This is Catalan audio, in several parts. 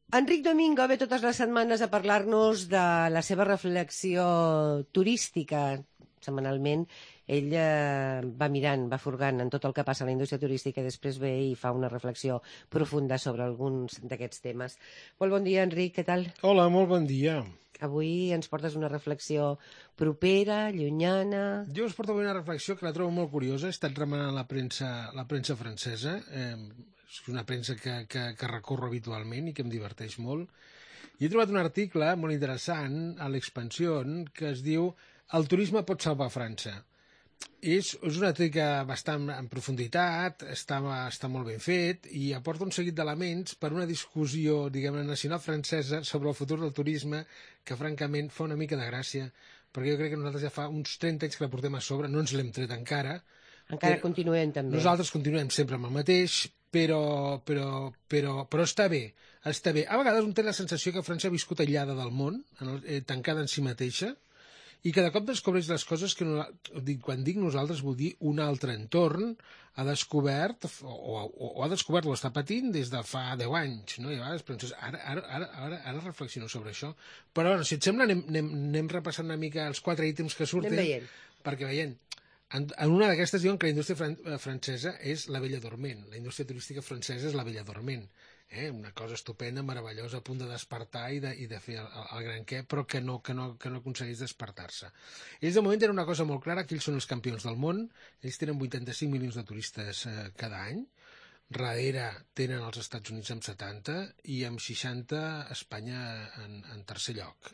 Enric Domingo ve totes les setmanes a parlar-nos de la seva reflexió turística. Setmanalment ell va mirant, va furgant en tot el que passa a la indústria turística i després ve i fa una reflexió profunda sobre alguns d'aquests temes. Molt bon dia, Enric, què tal? Hola, molt bon dia. Avui ens portes una reflexió propera, llunyana... Jo us porto una reflexió que la trobo molt curiosa. He estat remenant la premsa francesa. És una premsa que recorro habitualment i que em diverteix molt. I he trobat un article molt interessant a l'Expansión que es diu «El turisme pot salvar França». És un article bastant en profunditat, està molt ben fet i aporta un seguit d'elements per una discussió, diguem-ne, nacional francesa sobre el futur del turisme que, francament, fa una mica de gràcia, perquè jo crec que nosaltres ja fa uns 30 anys que la portem a sobre, no ens l'hem tret encara. Encara continuem també. Nosaltres continuem sempre amb el mateix, però està bé, està bé. A vegades un té la sensació que França ha viscut aïllada del món, tancada en si mateixa, i cada cop descobreix les coses que, quan dic nosaltres, vull dir un altre entorn, ha descobert, o ha descobert o està patint des de fa 10 anys, no? I a vegades penses, ara reflexiono sobre això. Però, bueno, si et sembla, anem repassant una mica els 4 ítems que surten, perquè veient, en una d'aquestes diuen que la indústria francesa és la bella dorment, la indústria turística francesa és la bella dorment. Una cosa estupenda, meravellosa, a punt de despertar i de fer el gran què, però que no aconsegueix despertar-se. Ells de moment tenen una cosa molt clara, que ells són els campions del món, ells tenen 85 milions de turistes cada any, darrere tenen els Estats Units amb 70 i amb 60 Espanya en tercer lloc.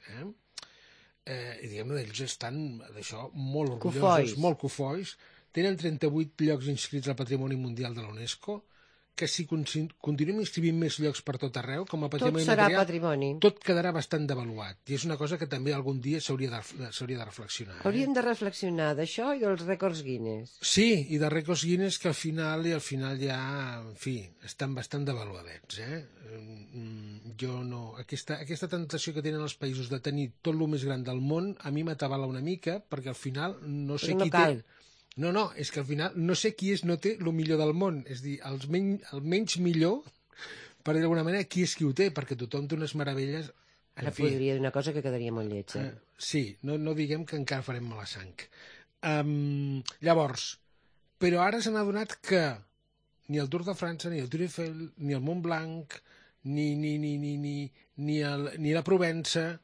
I diguem-ne, ells estan d'això molt orgullosos, molt cofois, tenen 38 llocs inscrits al Patrimoni Mundial de la UNESCO, que si continuem inscrivint més llocs per tot arreu, com a patrimoni material, patrimoni. Tot quedarà bastant devaluat. I és una cosa que també algun dia s'hauria de reflexionar. Hauríem de reflexionar d'això i dels rècords Guinness. Sí, i de rècords Guinness que al final ja, en fi, estan bastant devaluadets. Jo no... Aquesta tentació que tenen els països de tenir tot el més gran del món, a mi m'atabala una mica, perquè al final no sé qui té... No, és que al final no sé qui no té el millor del món. És a dir, el menys millor, per dir d'alguna manera, qui és qui ho té, perquè tothom té unes meravelles... Ara podria dir una cosa que quedaria molt lleig. Sí, no diguem que encara farem mala sang. Llavors, però ara s'han adonat que ni el Tour de França, ni el Tour Eiffel, ni el Mont Blanc, ni la Provença...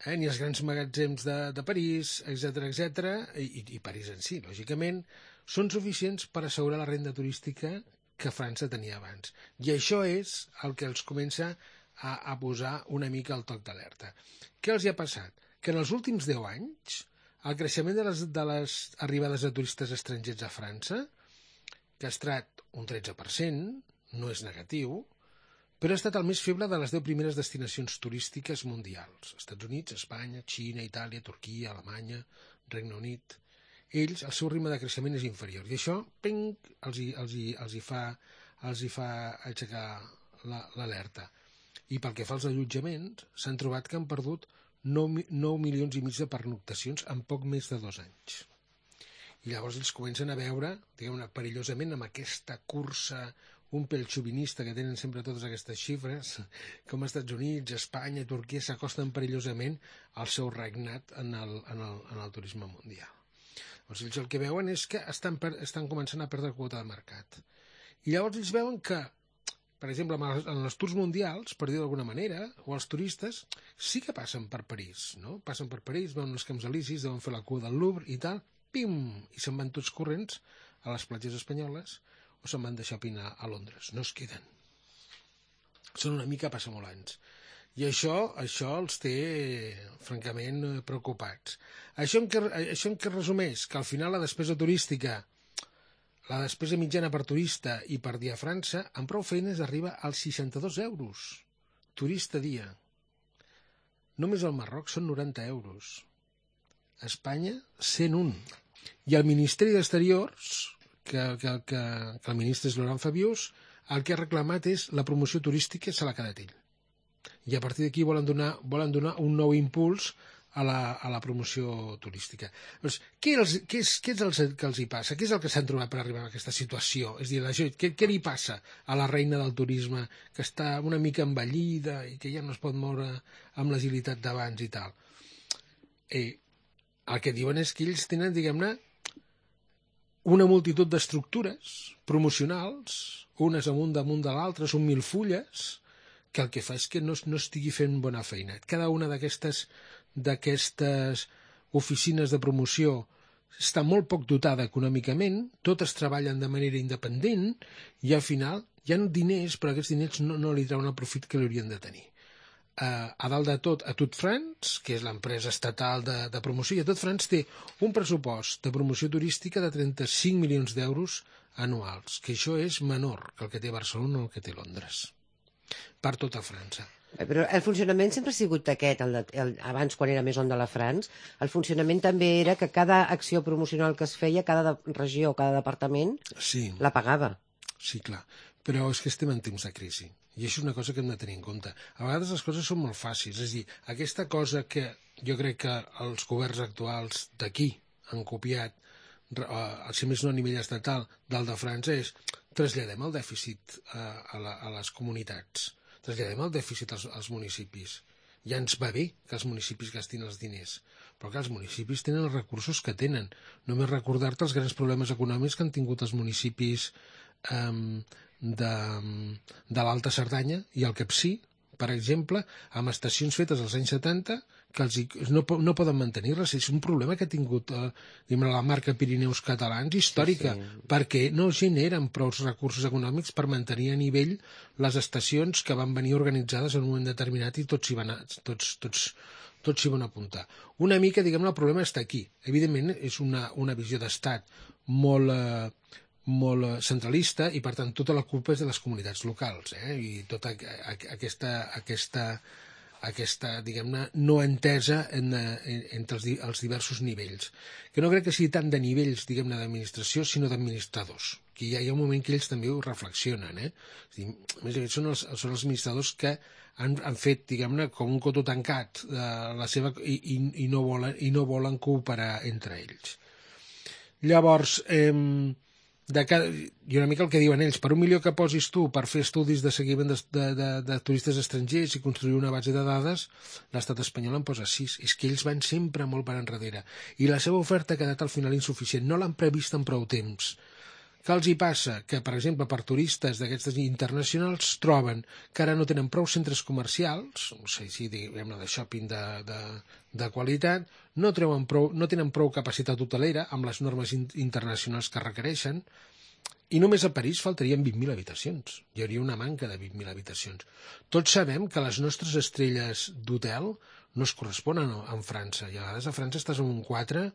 ni els grans magatzems de París, etc., i París en si, lògicament, són suficients per assegurar la renda turística que França tenia abans. I això és el que els comença a posar una mica el toc d'alerta. Què els hi ha passat? Que en els últims 10 anys, el creixement de les arribades de turistes estrangers a França, que ha estat un 13%, no és negatiu, però ha estat el més feble de les 10 primeres destinacions turístiques mundials. Estats Units, Espanya, Xina, Itàlia, Turquia, Alemanya, Regne Unit... Ells, el seu ritme de creixement és inferior. I això, els hi fa aixecar l'alerta. I pel que fa als allotjaments, s'han trobat que han perdut 9 milions i mig de pernoctacions en poc més de 2 anys. I llavors ells comencen a veure, diguem-ne, perillosament, amb aquesta cursa un pèl xovinista que tenen sempre totes aquestes xifres, com els Estats Units, Espanya i Turquia s'acosten perillosament al seu regnat en el turisme mundial. Llavors ells el que veuen és que estan començant a perdre quota de mercat. I llavors ells veuen que, per exemple, en els tours mundials, per dir d'alguna manera, o els turistes, sí que passen per París, no? Passen per París, veuen els Camps Elisis, deuen fer la cua del Louvre i tal, pim, i se'n van tots corrents a les platges espanyoles, o se'n van deixar pinar a Londres. No es queden. Són una mica passamolans. I això els té, francament, preocupats. Això en què resumeix? Que al final la despesa turística, la despesa mitjana per turista i per dia a França, amb prou feines arriba als 62 euros. Turista dia. Només al Marroc són 90 euros. A Espanya, 101. I el Ministeri d'Exteriors... que el ministre és Laurent Fabius, el que ha reclamat és la promoció turística se l'ha quedat ell. I a partir d'aquí volen donar un nou impuls a la promoció turística. Doncs, què és el que els hi passa? Què és el que s'han trobat per arribar a aquesta situació? És a dir, què li passa a la reina del turisme, que està una mica envellida i que ja no es pot moure amb l'agilitat d'abans i tal? El que diuen és que ells tenen, diguem-ne, una multitud d'estructures promocionals, unes amunt damunt de l'altra, són 1000 fulles, que el que fa és que no estigui fent bona feina. Cada una d'aquestes oficines de promoció està molt poc dotada econòmicament, totes treballen de manera independent i al final hi ha diners, però aquests diners no li treuen el profit que li haurien de tenir. A dalt de tot, a Tot France, que és l'empresa estatal de promoció, i a Tot France té un pressupost de promoció turística de 35 milions d'euros anuals, que això és menor que el que té Barcelona o el que té Londres, per tota França. Però el funcionament sempre ha sigut aquest, abans quan era Maison de la France, el funcionament també era que cada acció promocional que es feia, cada regió, cada departament, la pagava. Sí, clar, però és que estem en temps de crisi, i això és una cosa que hem de tenir en compte. A vegades les coses són molt fàcils, és a dir, aquesta cosa que jo crec que els governs actuals d'aquí han copiat, si més no a nivell estatal, del de França, és traslladem el dèficit a les comunitats, traslladem el dèficit als municipis. Ja ens va bé que els municipis gastin els diners, però que els municipis tenen els recursos que tenen. Només recordar-te els grans problemes econòmics que han tingut els municipis de l'Alta Cerdanya i el Capcir, per exemple, amb estacions fetes als anys 70 que no poden mantenir res. És un problema que ha tingut la marca Pirineus Catalans històrica, perquè no generen prou recursos econòmics per mantenir a nivell les estacions que van venir organitzades en un moment determinat i tots s'hi van apuntar. Una mica, diguem-ne, el problema està aquí. Evidentment, és una visió d'estat molt centralista i, per tant, tota la culpa és de les comunitats locals, i tota aquesta diguem-ne, no entesa entre els diversos nivells, que no crec que sigui tant de nivells, diguem-ne, d'administració, sinó d'administradors, que ja hi ha un moment que ells també ho reflexionen, És a dir, més aviat són els administradors que han fet, diguem-ne, com un cotó tancat la seva i no volen cooperar entre ells. Llavors, i una mica el que diuen ells, per $1 milió que posis tu per fer estudis de seguiment de turistes estrangers i construir una base de dades, l'estat espanyol en posa 6. És que ells van sempre molt per enrere. I la seva oferta ha quedat al final insuficient. No l'han previst en prou temps. Què els hi passa? Que, per exemple, per turistes d'aquestes internacionals troben que ara no tenen prou centres comercials, no sé si diguem-ne de shopping de qualitat, no tenen prou capacitat hotelera amb les normes internacionals que requereixen, i només a París faltarien 20.000 habitacions. Hi hauria una manca de 20.000 habitacions. Tots sabem que les nostres estrelles d'hotel no es corresponen amb França, i a vegades a França estàs en un 4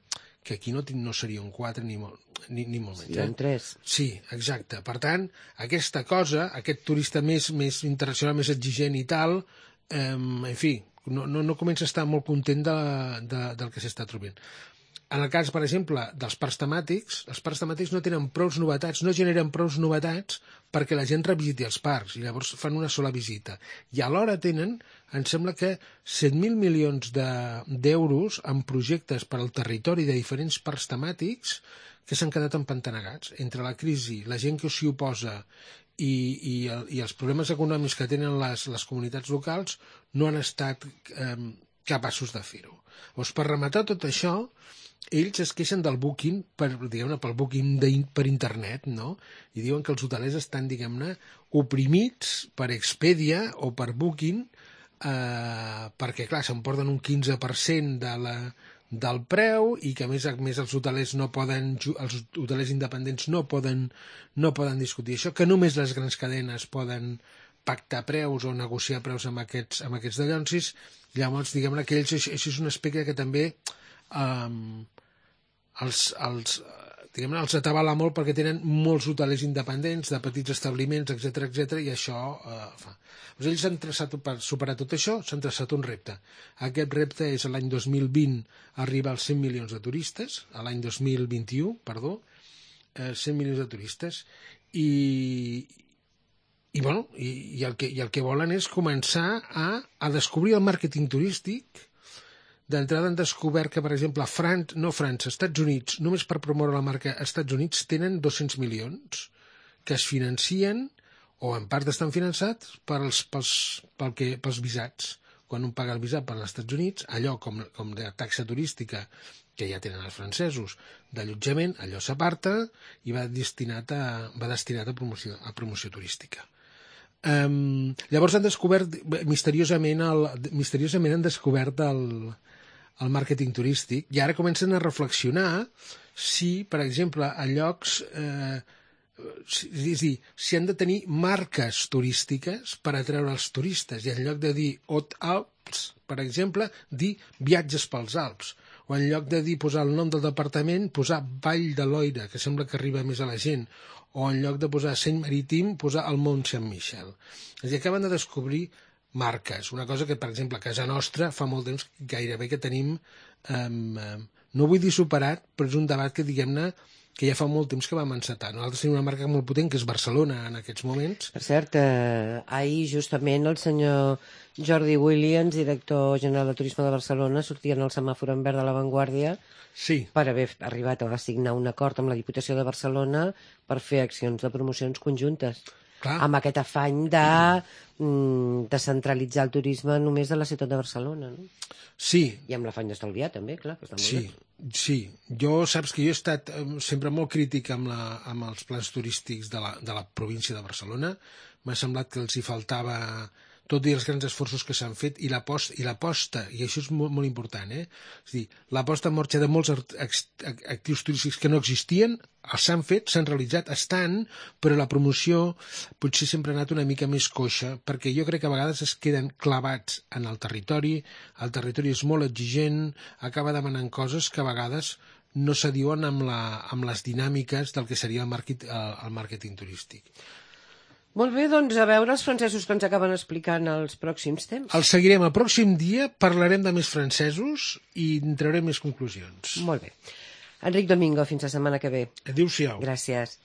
que aquí no seria un 4 ni molt menys. Sí, un 3. Sí, exacte. Per tant, aquesta cosa, aquest turista més internacional, més exigent i tal, en fi, no comença a estar molt content del que s'està trobant. En el cas, per exemple, dels parcs temàtics, els parcs temàtics no tenen prous novetats, no generen prous novetats perquè la gent revisiti els parcs, i llavors fan una sola visita. I alhora tenen, em sembla que 7.000 milions d'euros en projectes per al territori de diferents parcs temàtics que s'han quedat empantanegats. Entre la crisi, la gent que s'hi oposa i els problemes econòmics que tenen les comunitats locals, no han estat capaços de fer-ho. Llavors, per rematar tot això, ells es queixen del booking, pel booking per internet, no? I diuen que els hotelers estan, diguem-ne, oprimits per Expedia o per Booking, perquè, clar, s'emporten un 15% del preu i que, a més els hotelers els hotelers independents no poden discutir això, que només les grans cadenes poden pactar preus o negociar preus amb aquests dallonsis. Llavors, diguem-ne que ells, això és un aspecte que també els atabala molt perquè tenen molts hotelers independents de petits establiments, etc, i això fa. Doncs ells han traçat, per superar tot això, s'han traçat un repte. Aquest repte és l'any 2020 arribar als 100 milions de turistes, a l'any 2021, 100 milions de turistes, i el que volen és començar a descobrir el màrqueting turístic D'entrada han descobert que, per exemple, Estats Units, només per promoure la marca Estats Units, tenen 200 milions que es financien, o en part estan finançats, pels visats. Quan un paga el visat per als Estats Units, allò com de taxa turística que ja tenen els francesos d'allotjament, allò s'aparta i va destinat a promoció turística. Llavors han descobert, misteriosament han descobert el màrqueting turístic i ara comencen a reflexionar si, per exemple, a llocs... és a dir, si han de tenir marques turístiques per atreure els turistes i en lloc de dir Haute Alps, per exemple, dir viatges pels Alps, o en lloc de dir posar el nom del departament, posar Vall de Loira, que sembla que arriba més a la gent, o en lloc de posar Seny Marítim, posar el Mont Saint-Michel. És a dir, acaben de descobrir marques, una cosa que, per exemple, a casa nostra fa molt temps gairebé que tenim, no vull dir superat, però és un debat que, diguem-ne, que ja fa molt temps que vam encetar. Nosaltres tenim una marca molt potent, que és Barcelona, en aquests moments. Per cert, ahir justament el senyor Jordi Williams, director general de Turisme de Barcelona, sortia en el semàfor en verd de La Vanguardia per haver arribat a signar un acord amb la Diputació de Barcelona per fer accions de promocions conjuntes. Clar. Amb aquest afany de descentralitzar el turisme només de la ciutat de Barcelona, no? Sí. I amb l'afany d'estalviar, també, clar. Que està molt bé. Sí. Saps que jo he estat sempre molt crític amb els plans turístics de la província de Barcelona. M'ha semblat que els hi faltava, tot i els grans esforços que s'han fet, i l'aposta, i això és molt, molt important, és a dir, l'aposta en marxa de molts actius turístics que no existien, s'han fet, s'han realitzat, estan, però la promoció potser sempre ha anat una mica més coixa, perquè jo crec que a vegades es queden clavats en el territori és molt exigent, acaba demanant coses que a vegades no s'adiuen amb les dinàmiques del que seria el màrqueting turístic. Molt bé, doncs a veure els francesos que ens acaben explicant els pròxims temps. Els seguirem el pròxim dia, parlarem de més francesos i en traurem més conclusions. Molt bé. Enric Domingo, fins la setmana que ve. Adéu-siau. Gràcies.